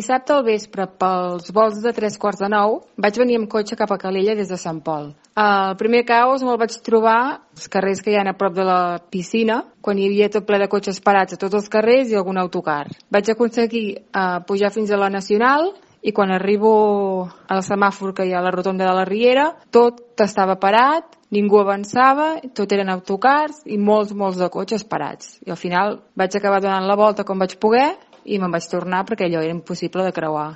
Dissabte al vespre, pels volts de 8:45, vaig venir amb cotxe cap a Calella des de Sant Pol. El primer caos me'l vaig trobar als carrers que hi ha a prop de la piscina, quan hi havia tot ple de cotxes parats a tots els carrers i algun autocar. Vaig aconseguir pujar fins a la Nacional i quan arribo al semàfor que hi ha a la rotonda de la Riera, tot estava parat, ningú avançava, tot eren autocars i molts de cotxes parats. I al final vaig acabar donant la volta com vaig poder i me'n vaig tornar perquè allò era impossible de creuar.